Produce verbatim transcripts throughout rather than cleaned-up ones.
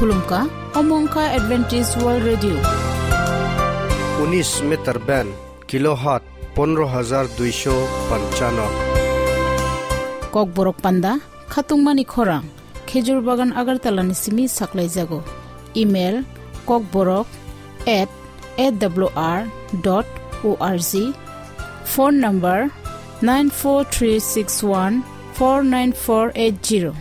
Khulumkha, omo wngkha Adventist World Radio. Unis meter band, kilohertz pondro hajar duisho panchano. Kokborok panda, khatungmani khorang, Khejur Bagan Agartala ni simi saklaijago. Email, kokborok at A W R dot O R G. Phone number, nine four three six one four nine four eight zero.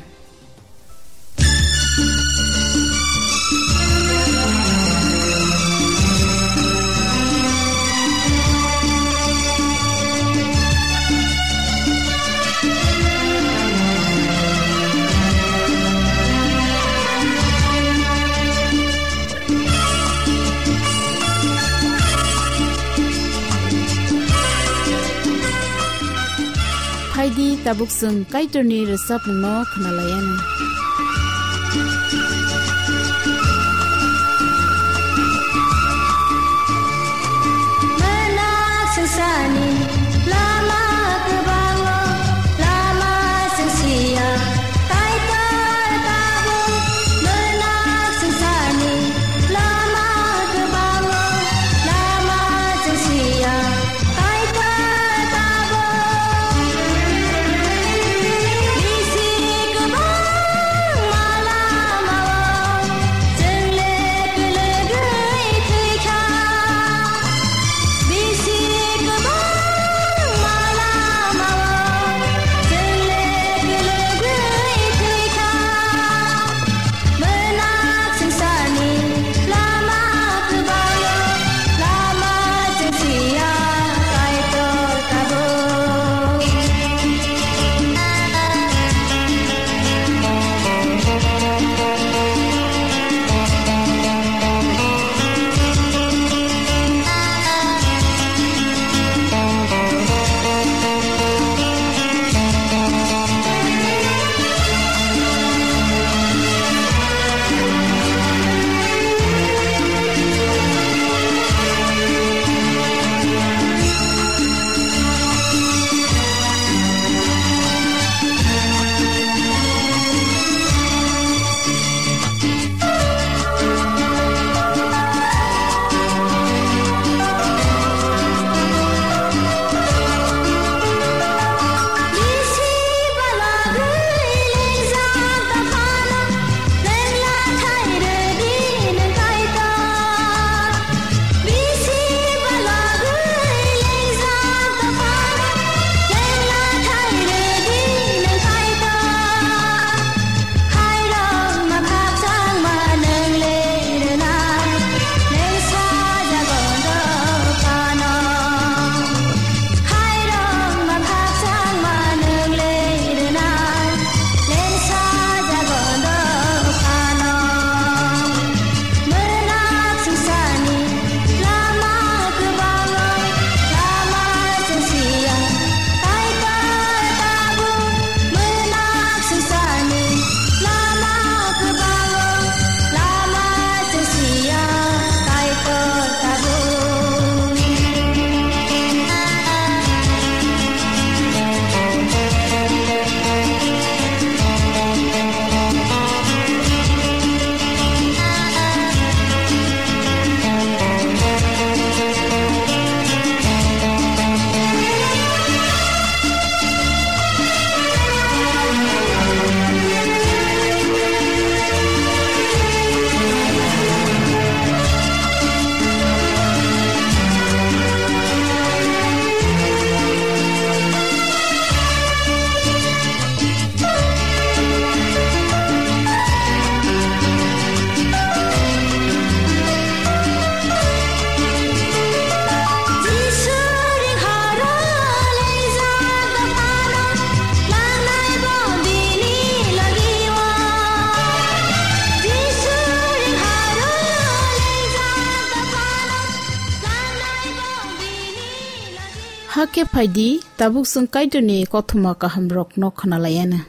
Phaidi, tabuk chwng Kaitorni rwchapmungno khwnalaianw. Mwnak swngcharni lama kwbango, lama chwng siya, Kaitor tabuk. Mwnak swngcharni lama kwbango, lama chwng siya, Kaitor tabuk. Bisi kwbangma lamao chwng le kwlwgwi thwikha. Bisi kwbangma lamao chwng le kwlwgwi thwikha. Mwnak swngcharni lama kwbango, lama chwng siya, Kaitor tabuk. Khairokma khakchangma nwng le rwna, nwng sajago dophano. Khairokma khakchangma nwng le rwna, nwng sajago dophano. Mwnak swngcharni lama kwbango, lama chwng siya, Kaitor tabuk. Mwnak swngcharni lama kwbango, lama chwng siya, Kaitor tabuk. Hakhe phaidi, tabuk chwng Kaitorni kothoma kahamrokno khwnalaianw.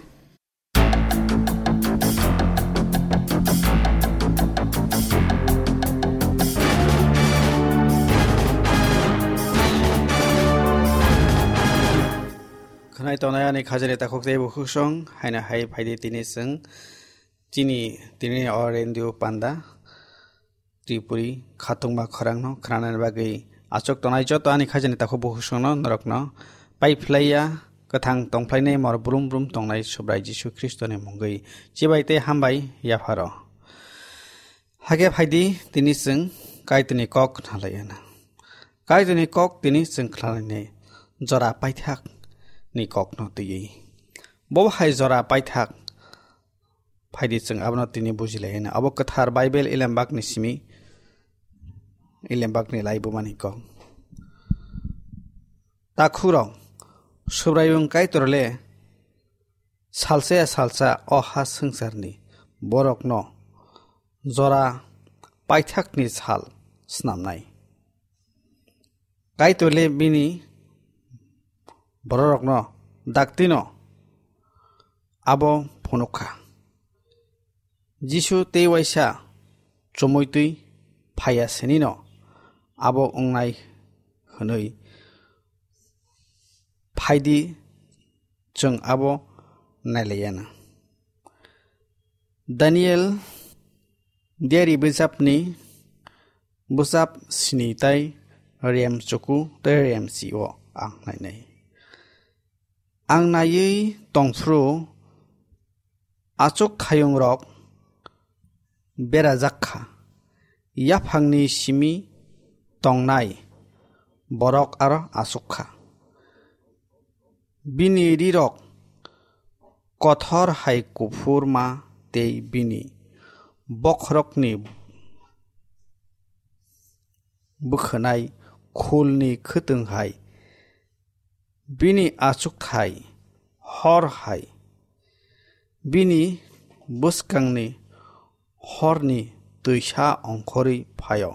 Khwnai tongnai ani khajani takhuk tei bukhuk song, haino hai phaidi tini chwng Chini tini o radio panda Tripuri khatungma khorangno khnanani bagwi achuk tongnai joto ani khajani takhuk bukhuk songno norokno paiphlaiya kwthang tongphlainai mor brum brum tongnai Subrai Jisu Khristoni mungwi chibai tei hambai yapharo. Hake phaidi tini chwng Kaitorni kok khnalaiyana. Kaitorni kok tini chwng khnalainai jora paithakni kokno twiwi. Bo hai jora paithak phaidi chwng abono tini bujilaiyana. Abo kwthar Bible Elembakni simi, Elembakni laibumani kok. Takhukrok, Subraiyung Kaitor le salsa ya salsa o ha swngcharni borokno jora paithakni sal snamnai. Kaitor le bini bororokno daktino abo phunukha. Jisu tei waisa chumui twi phaiya sinino abo wngnai hwnwi phaidi chwng abo nailaiyana. Daniel diari bwsapni bwsap sini tai rem chuku tei rem si-o ang nainai. Ang naiwi tongphuru achuk khayungrok berajak kha, yaphangni simi tongnai borok aro achuk kha. Bini rirok kothor hai kuphur ma tei bini bokhorokni bwkhwnai khulni khwtwng hai. Bini achukthai hor hai. Bini bwskangni horni twisa ongkhorwi phaio.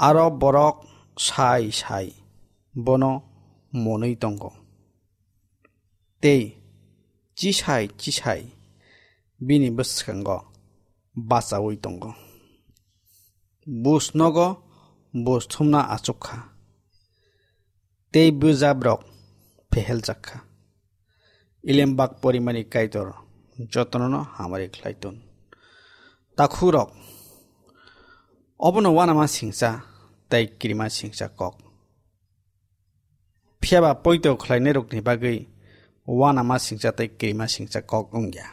Aro borok sai sai bono monwi tongo. Tei chisai chisai bini bwskango bachaui tongo. Buj nogo buj thumna achuk kha, tei bwjabrok pheheljak kha. Elembak porimani Kaitor jotono hamari khlai ton. Takhukrok, obono uanama singcha tei kirima singcha kok. Phiya ba poito khlainairokni bagwi uanama singcha tei kirima singcha kok wngya.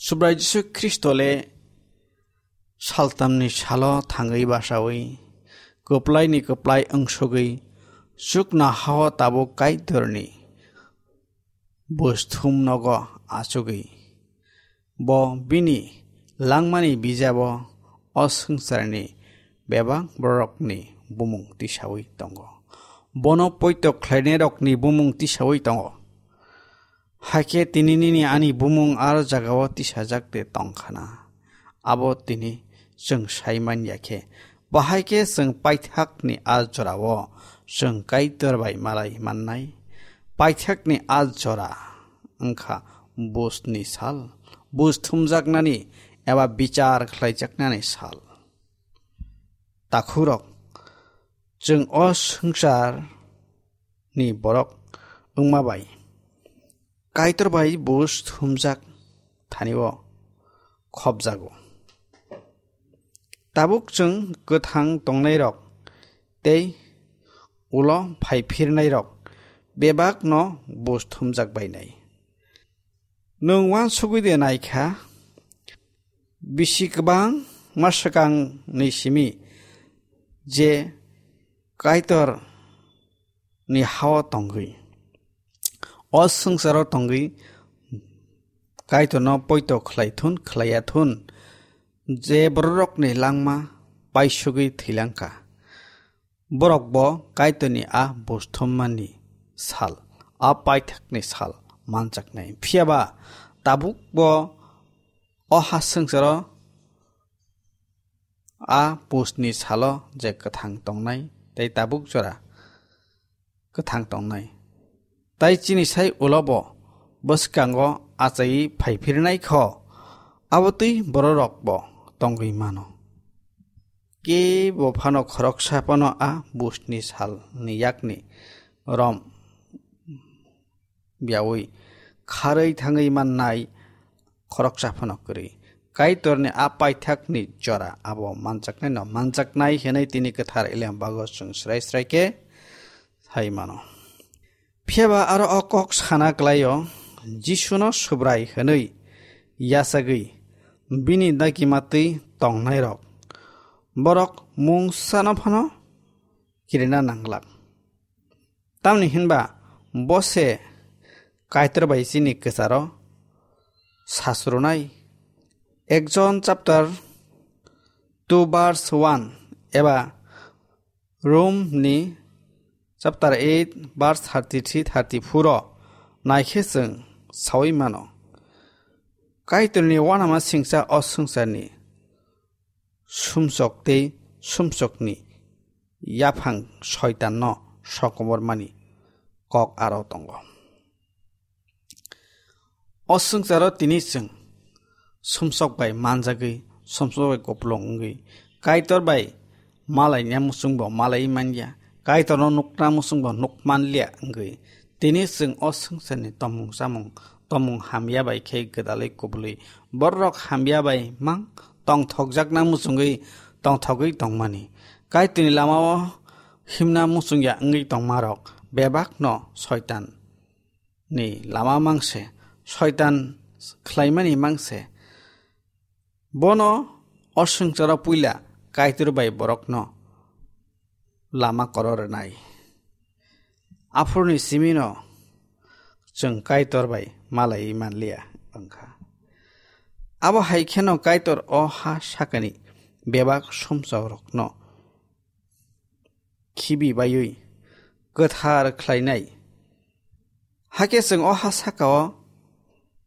Subrai Jisu Khristo le saltamni salo thangwi basaui, kwplaini kwplai wngsugwi, chuknohao tabuk Kaitorni buj thum nogo achugwi, bo bini langmani bijabo o swngcharni bebak bororokni bumung tisaui tongo. Bono poito khlainairokni bumung tisaui tongo. Hakhe tini nini ani bumung aro jagao tisajak de tongkhana. Abo tini chwng sai man ya khe, bahai khe chwng paithakni a jorao chwng Kaitor bai malai mannai. Paithakni a jora wngkha bujni sal, buj thumjaknani eba bichar khlaijaknani sal. Takhukrok, chwng o swngcharni borok wngma bai Kaitor bai buj thumjak thanio khopjago. Tabuk chwng kwthang tongnairok tei ulo phaiphirnairok bebakno buj thumjak bainai. Nwng uansugwi de naikha, bisi kwbangma swkangni simi je Kaitorni hao tongwi, o swngcharo tongwi Kaitorno poito khlai thun, khlaiya thun, je bororokni langma paisugwi thwilang kha. Borok bo Kaitorni a buj thummani sal, a paithakni sal manjaknai. Phiya ba tabuk bo o ha swngcharo a bujni salo je kwthang tongnai tei tabuk jora kwthang tongnai. Tai chini sai ulo bo bwskango achaiwi phaiphirnai kho, abo twi bororok bo tongwi mano. Kebo phano khoroksa phano a bujni salni yakni rom biaui kharwi thangwi mannai khoroksa phano kwrwi. Kaitorni a paithakni jora abo manjaknaino manjaknai hwnwi tini kwthar Eliam bago chwng srai srai khe sai mano. Phiya ba aro o kok sana klaio, Jisuno Subrai hwnwi yachagwi bini dagima twi tongnairok borok mungsano phano kirina nanglak. Tamni hinba bo se Kaitor bai chini kwcharo sasrunai. Ek Jon chapter two verse one eba Rom ni chapter eight verse thirty-three, thirty-four o naikhe chwng saui mano. Kaitorni uanama singcha o swngcharni sumsok tei sumsokni yaphang soitanno sokomormani kok aro tongo. O swngcharo tini chwng sumsok bai manjagwi, sumsok bai kupulung wngwi, Kaitor bai malaina muchungbo malai manya, Kaitorno nukna muchungbo nuk manlia wngwi, tini chwng o swngcharni tomung chamung, tomung hamya bai khe gwdalwi kubului, bororok hamya bai mang tongthokjakna muchungwi tongthogwi tongmani. Kaitorni lamao himna muchungya wngwi tongmarok bebakno soitan ni lama mangse, soitan khlaimani mangse. Bono o swngcharo puila Kaitor bai borokno lama koro rwnai. Aphuruni simino chwng Kaitor bai malaiwi manliya wngkha. Abo hai kheno Kaitor o ha sakani bebak sumsokrokno khibi baiwi kwthar khlainai. Hakhe chwng o ha sakao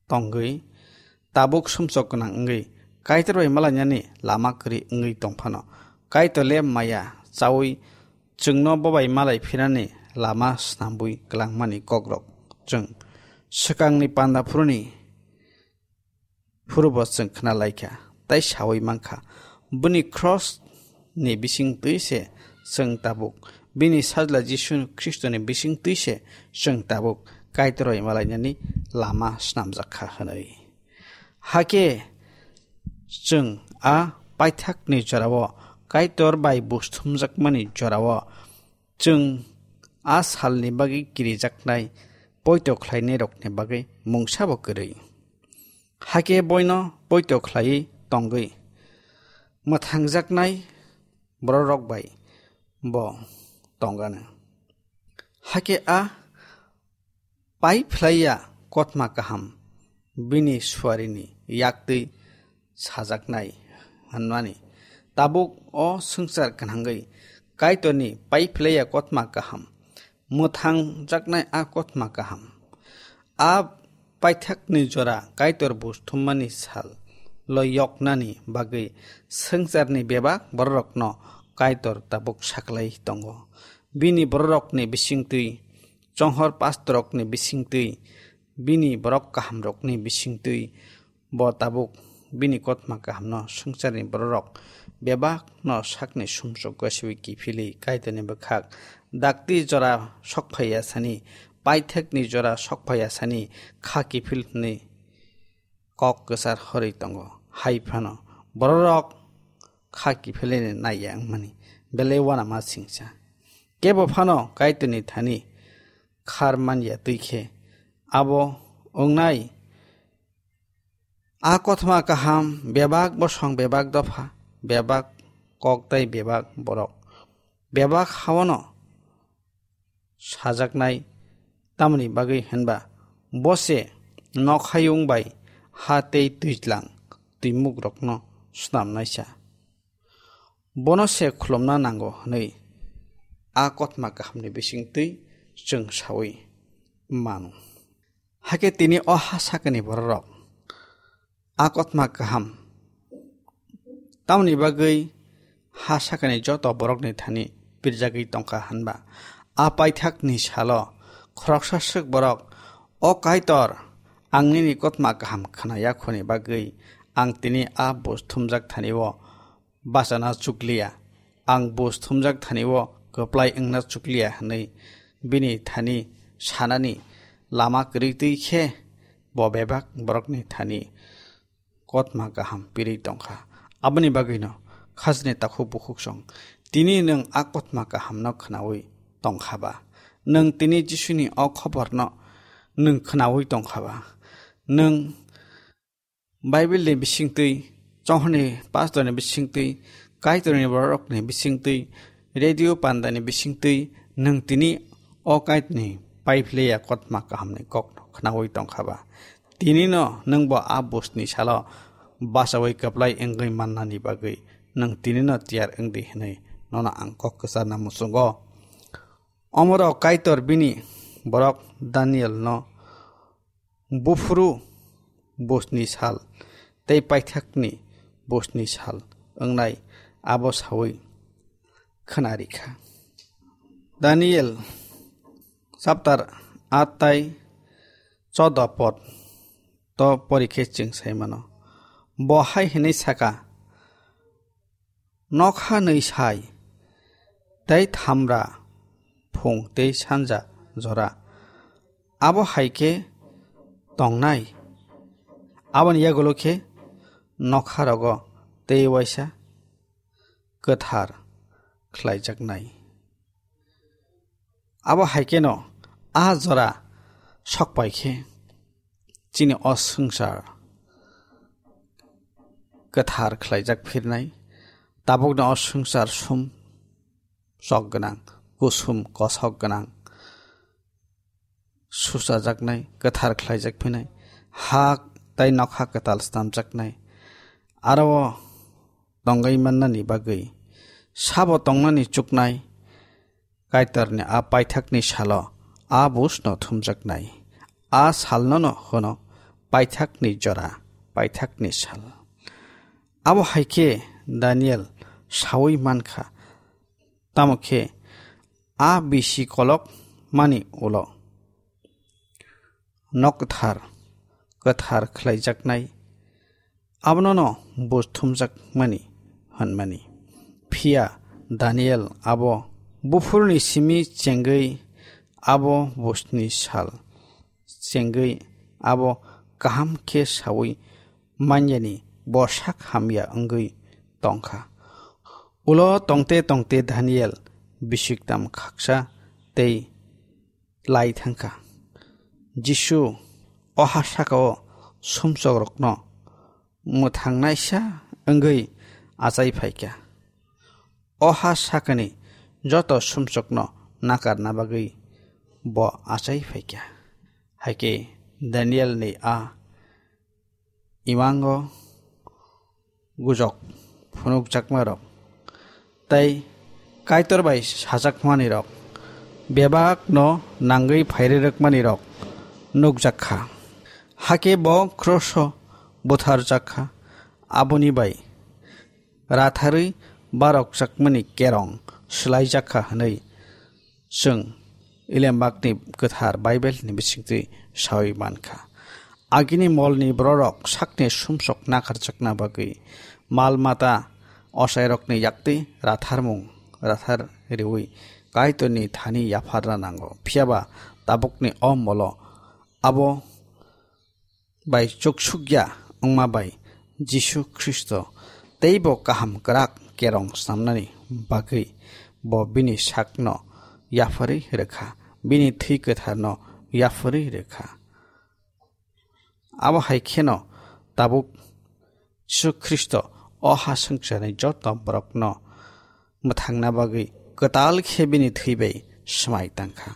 tongwi tabuk sumsok gwnang wngwi Kaitor bai malainani lama kwrwi wngwi tongphano, Kaitor le maya chaui chwngno bo bai malai phinani lama snambui kwlangmani kokrok chwng swkangni panda phuruni phurubo chwng khna laikha, tei saui mankha. Bini cross ni bising twi se chwng tabuk, bini sajla Jisu Khristoni bising twi se chwng tabuk Kaitor bai malainani lama snamjak kha hwnwi. Hakhe chwng a paithakni jorao, Kaitor bai buj thumjakmani jorao, chwng a salni bagwi kirijaknai poito khlainairokni bagwi mungsabo kwrwi. Hakhe boino poito khlaiwi tongwi mwthangjaknai bororok bai bo tongano. Hakhe a pai phlaiya kotma kaham bini suarini yaktwi sajaknai hwnmani. Tabuk o swngchar gwnangwi Kaitorni pai phlaiya kotma kaham mwthangjaknai a kotma kaham. A paithakni jora Kaitor buj thummani sal loyoknani bagwi swngcharni bebak bororokno Kaitor tabuk saklai tongo. Bini bororokni bisingtwi, chonghor pastorrokni bisingtwi, bini borok kahamrokni bisingtwi, bo tabuk bini kotma kahamno swngcharni bororok bebakno sakni sumsok gosiwi kiphilwi Kaitorni bwkhak dakti jora sokphaiya sani, paithakni jora sokphaiya sani kha kiphil hwnwi kok kwchar horwi tongo. Hai phano bororok kha kiphilini naiya wngmani belai uanama singcha. Kebo phano Kaitorni thani khar manya twi khe abo wngnai. A kothoma kaham bebak bosong, bebak dopha, bebak kok tei bebak borok, bebak haono sajaknai. Tamoni bagwi hwnba bo se nokhayung bai ha tei twijlang twimukrokno snamnaisa. Bono se khulumna nango hwnwi a kothoma kahamni bisingtwi chwng saui mano. Hakhe tini o ha sakani bororok a kothoma kaham tamoni bagwi ha sakani joto borokni thani pirjagwi tongkha hwnba, a paithakni salo khoroksa swk borok, "O Kaitor, ang nini kothoma kaham khna yakhuni bagwi ang tini a buj thumjak thani-o bachana chukliya, ang buj thumjak thani-o kwplai wngna chukliya," hwnwi bini thani sanani lama kwrwi twi khe bo bebak borokni thani kotma kaham pirwi tongkha. Aboni bagwino khajni takhuk bukhuksong tini nwng a kotma kahamno khnaui tongkha ba? Nwng tini Jisuni o khoborno nwng khnaui tongkha ba? Nwng Bible ni bisingtwi, Johon ni pastor ni bisingtwi, Kaitor ni borok ni bisingtwi, radio panda ni bisingtwi nwng tini o Kaitor ni paiphlaiya kotma kaham ni kok no khnaui tongkha ba? Tini no nwng bo a buj ni salo bachaui kwplai wngwi mannani bagwi nwng tini no tiyar wngdi hwnwi nono ang kok kwcharna muchungo. Omorok Kaitor bini borok Daniel no buphuru buj ni sal tei paithakni buj ni sal wngnai abo saui khna rikha. Daniel chapter aat tai choda pod to porikhe chwng sai mano. Bo hai hwnwi saka, nokha nwi sai, tei thamra phung tei sanja jora. Abo hai khe tongnai, aboni yagulo khe nokha rogo tei waisa kwthar khlaijaknai. Abo hai kheno a jora sokpai khe chini o swngchar kwthar khlaijak phirnai, tabukni o swngchar sum chok gwnang, kusum kosok gwnang suchajaknai, kwthar khlaijak phinai, ha tei nokha kwtal snamjaknai. Aro o tongwi mannani bagwi sabo tongnani chuknai Kaitorni a paithakni salo a buj no thumjaknai. A salno no hwno paithakni jora, paithakni sal. Abo hai khe Daniel saui mankha, tamo khe a bisi kolok mani ulo nok kwthar, kwthar khlaijaknai, abono no buj thumjakmani hwnmani. Phiya Daniel abo buphurni simi chengwi abo bujni sal chengwi abo kaham khe saui manyani bo sak hamya wngwi tongkha. Ulo tongte tongte Daniel bisiktam khaksa tei lai thangkha. Jisu o ha sakao sumsokrokno mwthangnaisa wngwi achai phaikha. O ha sakani joto sumsokno nakarna bagwi bo achai phaikha. Haikhe Danielni a imango gujok phunukjakmarok tei Kaitor bai sajakmanirok, bebakno nangwi phairwrwkmanirok nukjak kha. Hakhe bo kroso butharjak kha, aboni bai ratharwi barokjakmani kerong swlaijak kha hwnwi chwng Ilembakni kwthar Bible ni bisingtwi saui mankha. Agini molni bororok sakni sumsok nakarjakna bagwi mal mata ochairokni yakti ratharmung rathar riui Kaitorni thani yapharna nango. Phiyaba tabukni o molo abo bai chuksukya wngma bai Jisu Khristo teibo kaham kwrak kerong snamnani bagwi bo bini sakno yapharwi rwkha, bini thwi kwtharno yapharwi rwkha. Abo hai kheno tabuk Jisu Khristo o ha swngcharni joto borokno mwthangna bagwi kwtal khe bini thwi bai swmai tangkha.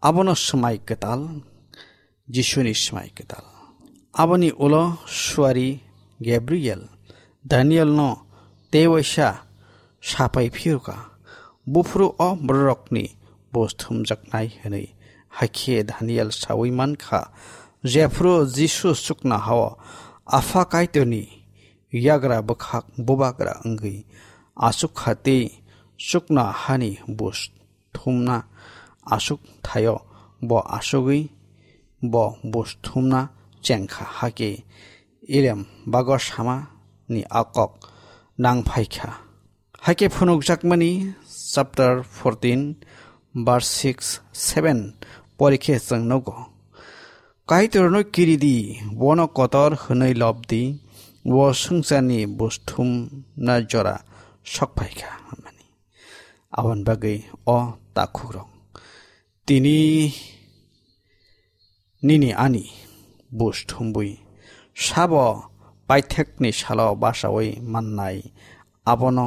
Abono swmai kwtal, Jisuni swmai kwtal. Aboni ulo suari Gabriel Danielno tei waisa sapai phirukha, buphuru o bororokni buj thumjaknai hwnwi. Hakhe Daniel saui mankha, jephuru Jisu chuknohao Apha Kaitorni yagra bwkhak bubagra wngwi achukha tei chuknohani buj thumna aswk thaio, bo aswgwi bo buj thumna chengkha, hakhe Ilembak o samani a kok nang phaikha. Hakhe phunukjakmani chapter fourteen verse six, seven porikhe chwng nugo. Kaitorno kiridi, bono kotor hwnwi lobdi, o swngcharni buj thumna jora sok phai kha hwnmani. Aboni bagwi o takhukrok, tini nini ani buj thumbwi sabo paithakni salo bachaui mannai, abono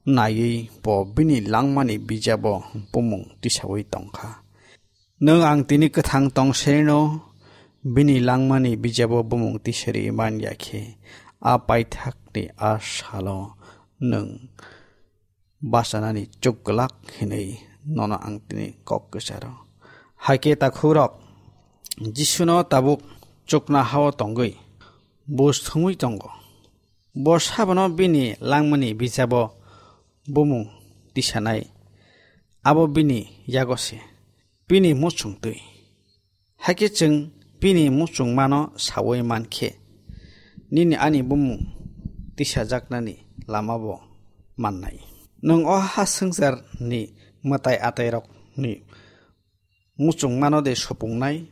naiwi bo bini langmani bijabo bumung tisaui tongkha. Nwng ang tini kwthang tongserino bini langmani bijabo bumung tisari man ya khe, a paithakni a salo nwng bachanani chuk glak hinwi nono ang tini kok kwcharo. Hai khe takhukrok, Jisuno tabuk chuknohao tongwi buj thumwi tongo. Bo sabono bini langmani bijabo bumung tisanai, abo bini yago se, bini muchung twi. Hakhe chwng bini muchungmano saui man khe, nini ani bumung tisajaknani lamabo mannai. Nwng o ha swngcharni mwtai atairokni muchungmano de supungnai,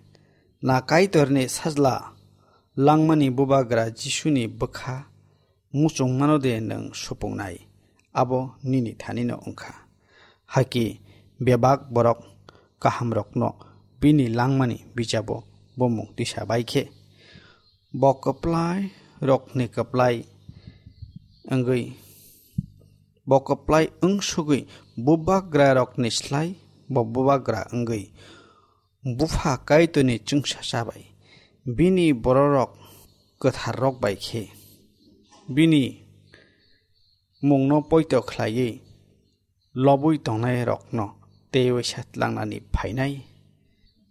na Kaitorni sajla langmani bubagra Jisuni bwkha muchungmano de nwng supungnai, abo nini thanino wngkha. Hakhe bebak borok kahamrokno bini langmani bijabo bumung tisa bai khe, bo kwplai rokni kwplai wngwi, bo kwplai wngsugwi bubagra rokni slai bo bubagra wngwi Bupha Kaitorni chwngsacha bai bini bororok kwtharrok bai khe bini mungno poito khlaiwi lobwi tongnairokno tei waisa tlangnani phainai.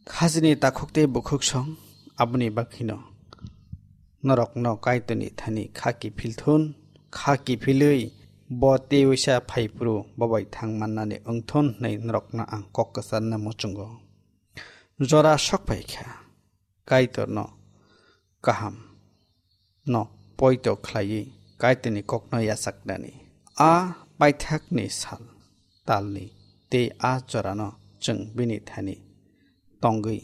Khajini takhuk tei bukhuk song, aboni bakhino norokno Kaitorni thani kha kiphil thun, kha kiphilwi bo tei waisa phaiphuru bobai thang mannani wngthun hwnwi norokno ang kok kwcharna muchungo. Jora sok pai kha, Kaitorno kaham no poito khlaiwi Kaitorni kokno yachaknani. A paithakni sal talni tei a jorano chwng bini thani tongwi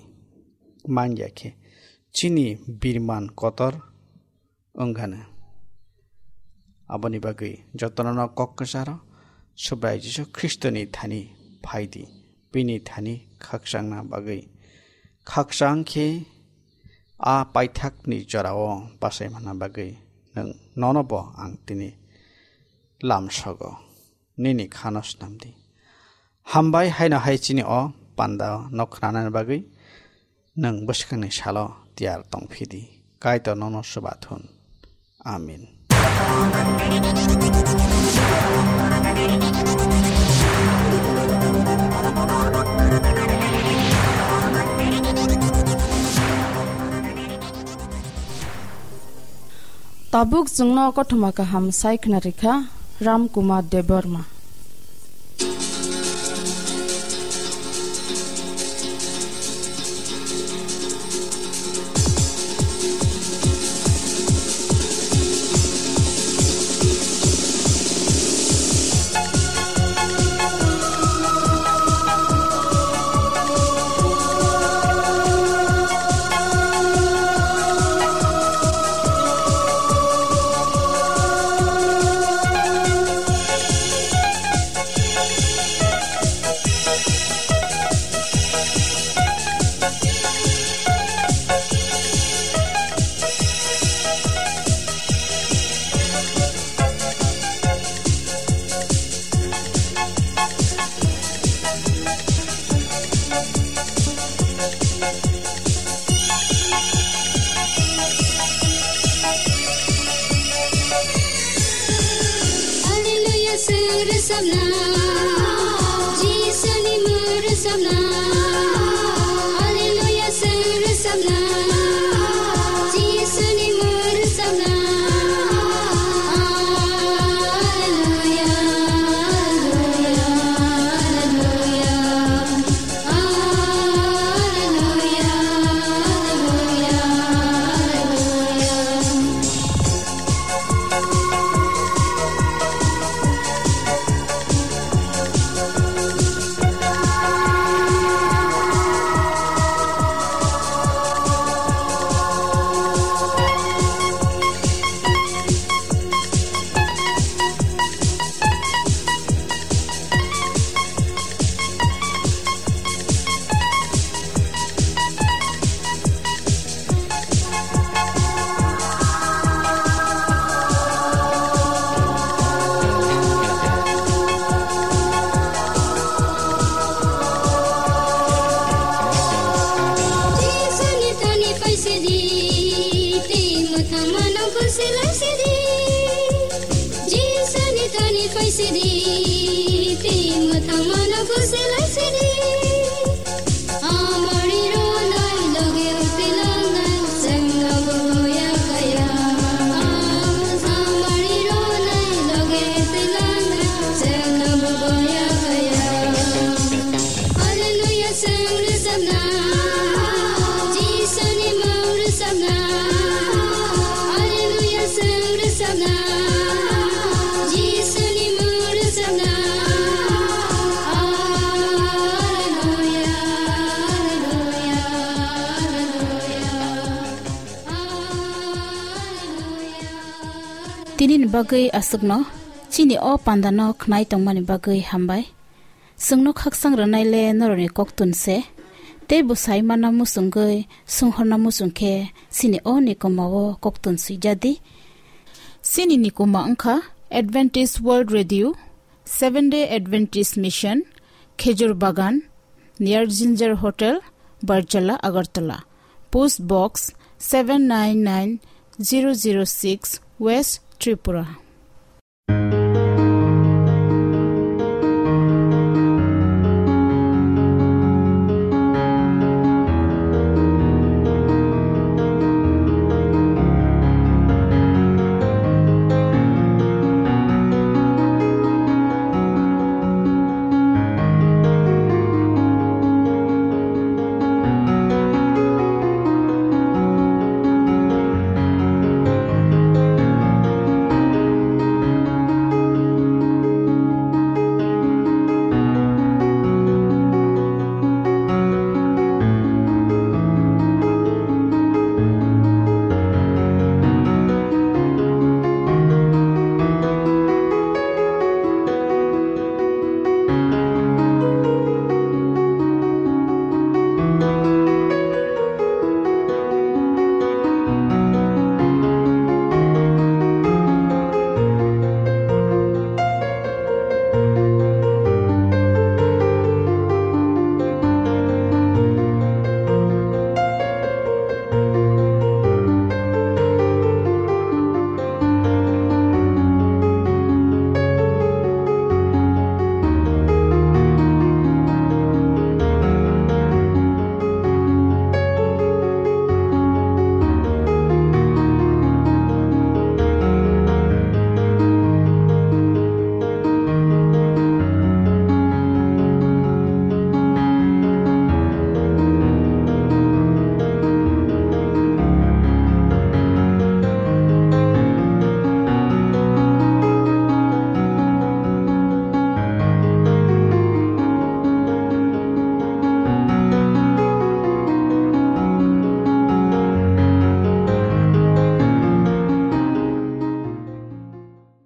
man ya khe chini birman kotor wngkha. Aboni bagwi jotono kok kwcharo Subrai Jisu Khristoni thani phai di, bini thani khakchangna bagwi. Khakchang khe a paithakni jorao bachai manna bagwi nwng nono bo ang tini lamsogo, nini khano snam di. Hambai haino hai chini o panda no khnanani bagwi. Nwng bwskangni salo tiyar tongphi di. Kaitor nono swbathun. Amen. Tabuk chwngno kothoma kaham sai khna rikha Ram Kumar Debbarma. Hallelujah, sir, sabna. Jisu ni mur sabna. Hallelujah, sir, sabna. Jisu ni mur sabna. Hallelujah, hallelujah, hallelujah. Khaisidi, twi mwthangmano khusi laisidi. Amari ronai loge uti langnai, chengnobo boya kaya. Amari ronai loge uti langnai, chengnobo boya kaya. Hallelujah, chwng rwchapna, Jisuni mung rwchapna. Hallelujah, chwng rwchapna, Jisuni mung rwchapna. Hallelujah, hallelujah, hallelujah, hallelujah. Tinini bagwi aswkno, chini o pandano khnai tongmani bagwi hambai. Chwngno khakchang rwnai le norokni koktun se. Tei bwsai mana muchungwi, swnghorna muchung khe chini o nikoma o koktun swijadi. Chini nikoma wngkha Adventist World Radio, Seven Day Adventist Mission, Khejur Bagan, near Ginger Hotel, Barjala, Agartala. Post Box seven nine nine zero zero six, West Tripura.